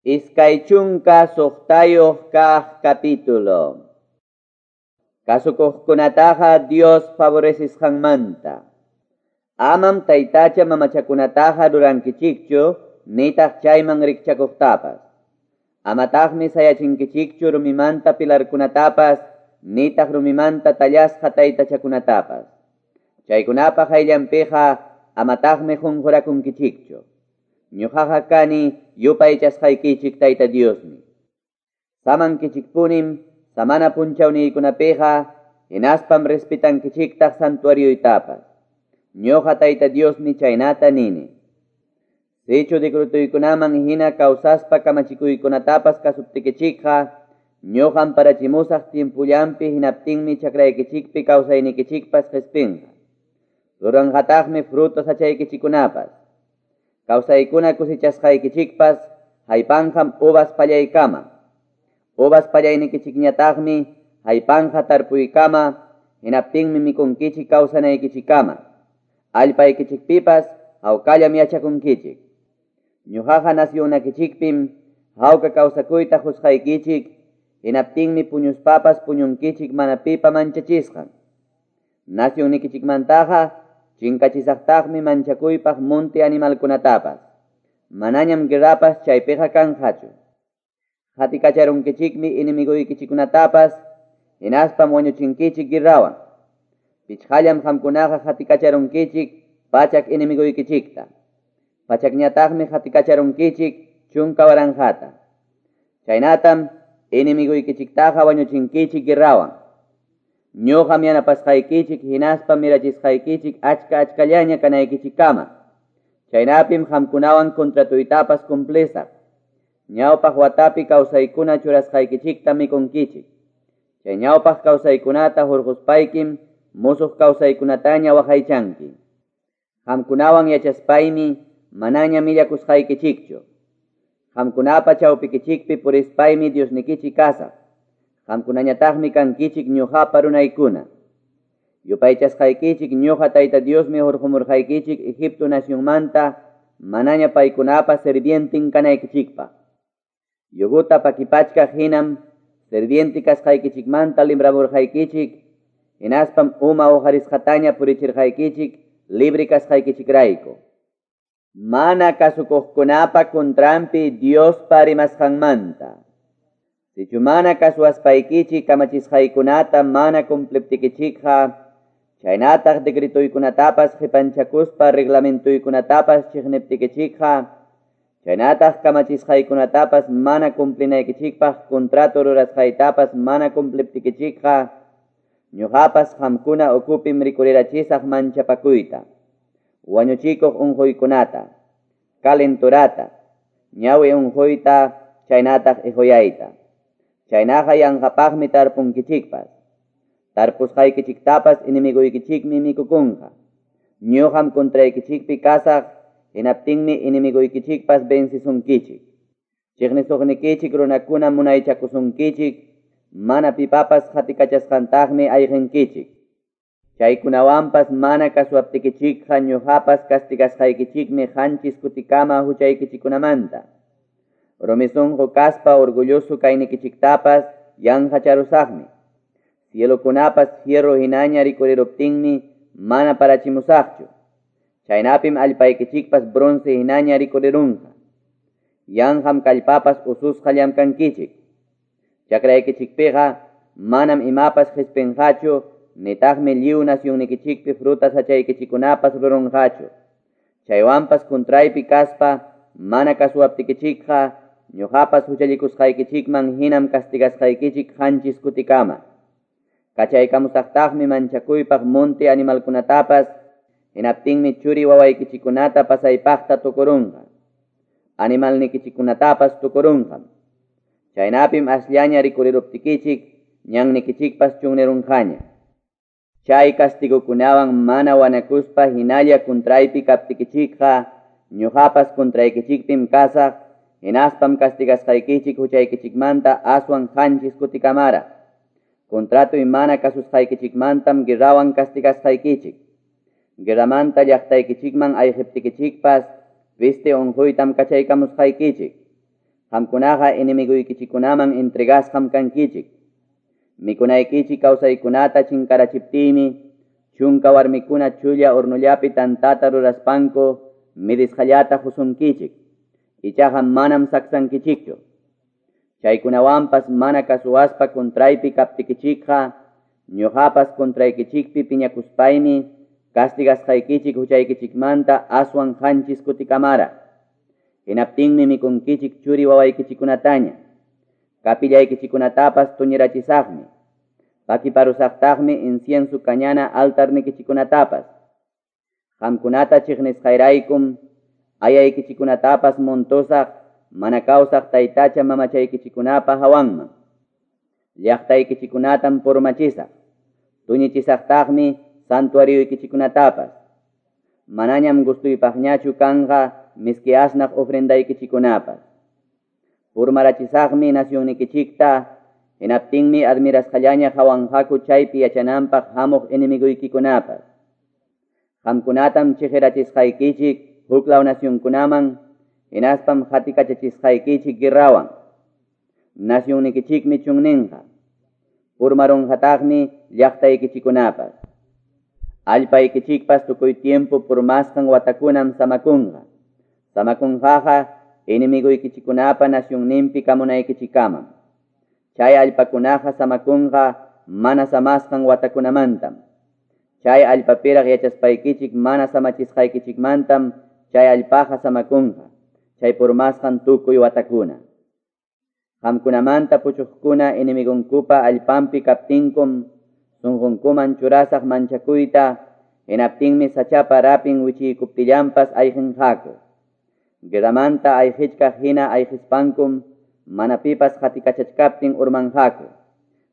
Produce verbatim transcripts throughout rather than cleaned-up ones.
Iskay chunka suqtayuq kaq capítulo. Kasukuqkunataqa Dios favorecisqanmanta. Amam taytacha mamachakunataqa rurankichikchu, nitaq chayman rikchakuqtapas. Amataqmi sayachinkichikchu rumimanta pilarkunatapas, nitaq rumimanta tallasqa taytachakunatapas. Chaykunapa hayllanpiqa amataqmi qunqurakunkichikchu. Ñuqaqa kani yupaychasqaykichik Tayta Diosmi. Samankichikpunim samana punchawniykunapiqa hinaspam respetankichiktaq santuarioytapas. Ñuqa Tayta Diosmi chaynata nini. Sichu decretuykunaman hina kawsaspa kamachikuykunatapas kasuptikichikqa, ñuqam parachimusaq tiempullanpi hinaptinmi chakraykichikpi kawsaynikichikpas qispinqa. Ruranqataqmi frutos achaykichikunapas. Kawsaykuna kusechasqaykichikpas haypanqam uvas pallaykama. Uvas pallaynikichikñataqmi haypanqa tarpuykama, hinaptinmi mikunkichik kawsanaykichikama. Allpaykichikpipas hawkallam yachakunkichik. Ñuqaqa nasyunakichikpim hawka kawsakuyta qusqaykichik, hinaptinmi puñuspapas puñunkichik mana pipa manchachisqan. Nasyunnikichikmantaqa chinkachisaqtaqmi manchakuypaq monte animalkunatapas. Manañam guerrapas chaypiqa kanqachu. Qatikacharunkichikmi enemiguykichikkunatapas, hinaspam wañuchinkichik guerrawan. Pichqallam qamkunaqa qatikacharunkichik pachak enemiguykichikta. Pachakñataqmi qatikacharunkichik chunka waranqata. Chaynatam enemiguykichiktaqa wañuchinkichik guerrawan. Ñuqam yanapasqaykichik hinaspa mirachisqaykichik achka achkallaña kanaykichikkama. Chaynapim qamkunawan contratuytapas cumplisaq. Ñawpaq watapi kawsaykuna churasqaykichikta mikunkichik. Chay ñawpaq kawsaykunata hurquspaykim musuq kawsaykunataña waqaychanki. Qamkunawan yachaspaymi manaña millakusqaykichikchu. Qamkunapa chawpikichikpi purispaymi Diosnikichik kasaq. Qamkunañataqmi kankichik ñuqapa runaykuna. Yupaychasqaykichik ñuqa Tayta Diosmi hurqumurqaykichik Egipto nacionmanta manaña paykunapa sirvientin kanaykichikpaq. Yuguta pakipachkaq hinam sirvienti kasqaykichikmanta libramurqaykichik, hinaspam uma uqarisqataña purichirqaykichik libre kasqaykichikrayku. Mana kasukuqkunapa contranpi Diospa rimasqanmanta. Sichu mana kasuaspaykichik kamachisqaykunata mana cumpliptikichikqa, chaynataq decretuykunatapas qipanchakuspa reglamentuykunatapas chiqniptikichikqa, chaynataq kamachisqaykunatapas mana cumplinaykichikpaq contrato rurasqaytapas mana cumpliptikichikqa, ñuqapas qamkuna ukupim rikurirachisaq manchapakuyta, wañuchikuq unquykunata, calenturata, ñawi unquyta, chaynataq iquyayta. Chaynaqa yanqapaqmi tarpunkichikpas. Tarpusqaykichiktapas enemiguykichikmi mikukunqa. Ñuqam contraykichikpi kasaq, hinaptinmi enemiguykichikpas vencisunkichik. Chiqnisuqnikichik runakuna munaychakusunkichik, mana pipapas qatikachasqantaqmi ayqinkichik. Chaykunawanpas mana kasuaptikichikqa ñuqapas castigasqaykichikmi qanchis kutikama huchaykichikkunamanta. Rumi sunqu kaspa orgulloso kaynikichiktapas yanqacharusaqmi. Cielokunapas fierro hinaña rikuriruptinmi mana parachimusaqchu. Chaynapim allpaykichikpas bronce hinaña rikurirunqa. Yanqam kallpapas ususqa llamkankichik. Chakraykichikpiqa manam imapas qispinqachu, nitaqmi lliw nasyunnikichikpi frutas achaykichikunapas rurunqachu. Chaywanpas contraypi kaspa mana kasuaptikichikqa, ñuqapas huchallikusqaykichikman hinam castigasqaykichik qanchis kutikama. Kachaykamusaqtaqmi manchakuypaq monte animalkunatapas, hinaptinmi churi wawaykichikunata pasaypaqta tukurunqa. Animalnikichikunatapas tukurunqam. Chaynapim asllaña rikuriruptikichik, ñannikichikpas chunnirunqaña. Chay castigukunawan mana wanakuspa hinalla contraypi kaptikichikqa, ñuqapas contraykichikpim kasaq, hinaspam castigasqaykichik huchaykichikmanta aswan qanchis kutikamara. Contratoy mana kasusqaykichikmantam guerrawan castigasqaykichik. Guerramanta llaqtaykichikman ayqiptikichikpas peste unquytam kachaykamusqaykichik. Qamkunaqa enemiguykichikkunaman entregasqam kankichik. Mikunaykichik kawsaykunata chinkarachiptiymi, chunka warmikuna chulla hornollapi tantata ruraspanku midisqallata qusunkichik. Ichaqa manam saksankichikchu. Chaykunawanpas mana kasuwaspa contraypi kaptikichikqa, ñuqapas contraykichikpi piñakuspaymi castigasqaykichik huchaykichikmanta aswan qanchis kutikamara. Hinaptinmi mikunkichik churi wawaykichikkunataña. Kapillaykichikkunatapas tuñirachisaqmi. Pakiparusaqtaqmi incienso kañana altarnikichikkunatapas. Qamkunata chiqnisqayraykum ayaykichikkunatapas montosaq mana kawsaq taytacha mamachaykichikkunapa hawanman. Llaqtaykichikkunatam purmachisaq. Tuñichisaqtaqmi santuarioykichikkunatapas. Manañam gustuypaqñachu kanqa miski asnaq ofrendaykichikkunapas. Purmarachisaqmi nacionnikichikta, hinaptinmi admirasqallaña hawanqaku chaypi yachananpaq hamuq enemiguykikunapas. Qamkunatam chiqirachisqaykichik huklaw nacionkunaman, hinaspam qatikachachisqaykichik guerrawan. Nacionnikichikmi chunninqa. Purmarunqataqmi llaqtaykichikkunapas. Allpaykichikpas tukuy tiempo purmasqan watakunam samakunqa. Samakunqaqa enemiguykichikkunapa nacionninpi kamunaykichikkamam. Chay allpakunaqa samakunqa mana samasqan watakunamantam. Chay allpapiraq yachaspaykichik mana samachisqaykichikmantam chay allpaqa samakunqa. Chay purmasqan tukuy watakuna. Qamkunamanta puchuqkuna enemigunkupa allpanpi kaptinkum sunqunkuman churasaq manchakuyta, hinaptinmi sachapa rapin wichiykuptillanpas ayqinqaku. Guerramanta ayqichkaq hina ayqispankum mana pipas qatikachachkaptin urmanqaku.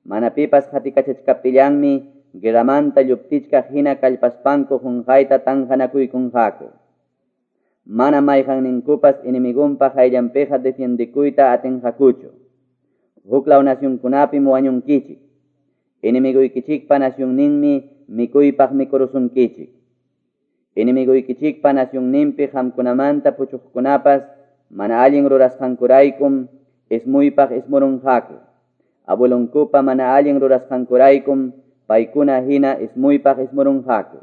Mana pipas qatikachachkaptillanmi guerramanta lluptichkaq hina kallpaspanku qunqayta tanqanakuykunqaku. Mana mayqanninkupas enemigunpa qayllanpiqa defiendikuyta atinqakuchu. Huklaw nacionkunapim wañunkichik. Enemiguykichikpa nacionninmi mikuypaq mikurusunkichik. Enemiguykichikpa nacionninpi qamkunamanta puchuqkunapas mana allin rurasqankuraykum ismuypaq ismurunqaku. Abuelonkupa mana allin rurasqankuraykum paykuna hina ismuypaq ismurunqaku.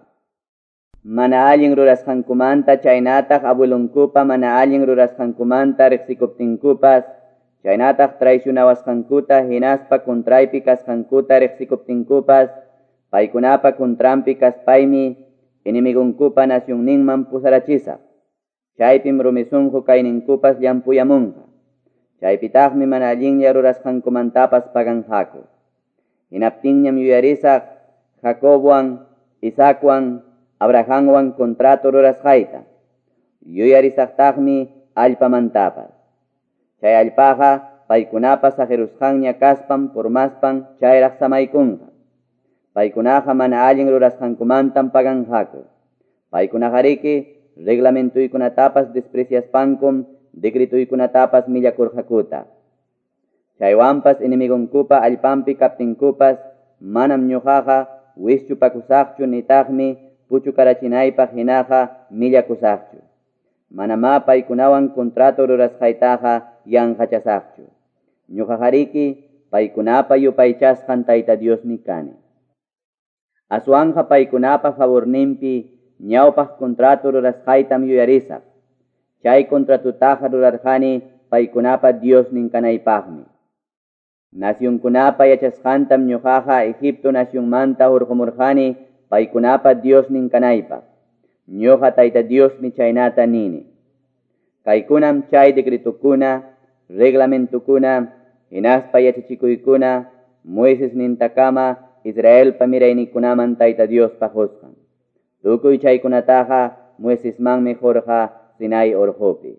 Mana allin rurasqankumanta chaynataq abuelonkupa mana allin rurasqankumanta riqsikuptinkupas, chaynataq traicionawasqankuta hinaspa contraypi kasqankuta riqsikuptinkupas, paykunapa contranpi kaspaymi enemigunkupa nacionninman pusarachisaq. Chaypim rumi sunqu kayninkupas llampuyamunqa. Chaypitaqmi mana allinlla rurasqankumantapas paganqaku. Hinaptinñam yuyarisaq Jacobwan, Isaacwan, Abrahamwan contrato rurasqayta. Yuyarisaqtaqmi allpamantapas. Chay allpaqa paykunapa saqirusqanña kaspan purmaspan chayraq samaykunqa. Paykunaqa mana allin rurasqankumantam paganqaku. Paykunaqariki reglamentuykunatapas despreciaspankum decretuykunatapas millakurqakuta. Chaywanpas enemigunkupa allpanpi kaptinkupas manam ñuqaqa wischupakusaqchu nitaqmi puchukarachinaypaq hinaqa millakusaqchu. Manamá paykunawan contrato rurasqaytaqa yanqachasaqchu. Ñuqaqariki paykunapa yupaychasqan Tayta Diosmi kani. Aswanqa paykunapa favorninpi ñawpaq contrato rurasqaytam yuyarisaq. Chay contratutaqa rurarqani paykunapa Diosnin kanaypaqmi. Nacionkunapa yachasqantam ñuqaqa Egipto nacionmanta hurqumurqani paykunapa Diosnin kanaypaq. Ñuqa Tayta Diosmi chaynata nini. Kaykunam chay decretukuna, reglamentukuna, hinaspa yachachikuykuna, Moises nintakama Israelpa miraynikunaman Tayta Diospa qusqan. Tukuy chaykunataqa Moisesmanmi qurqa Sinai urqupi.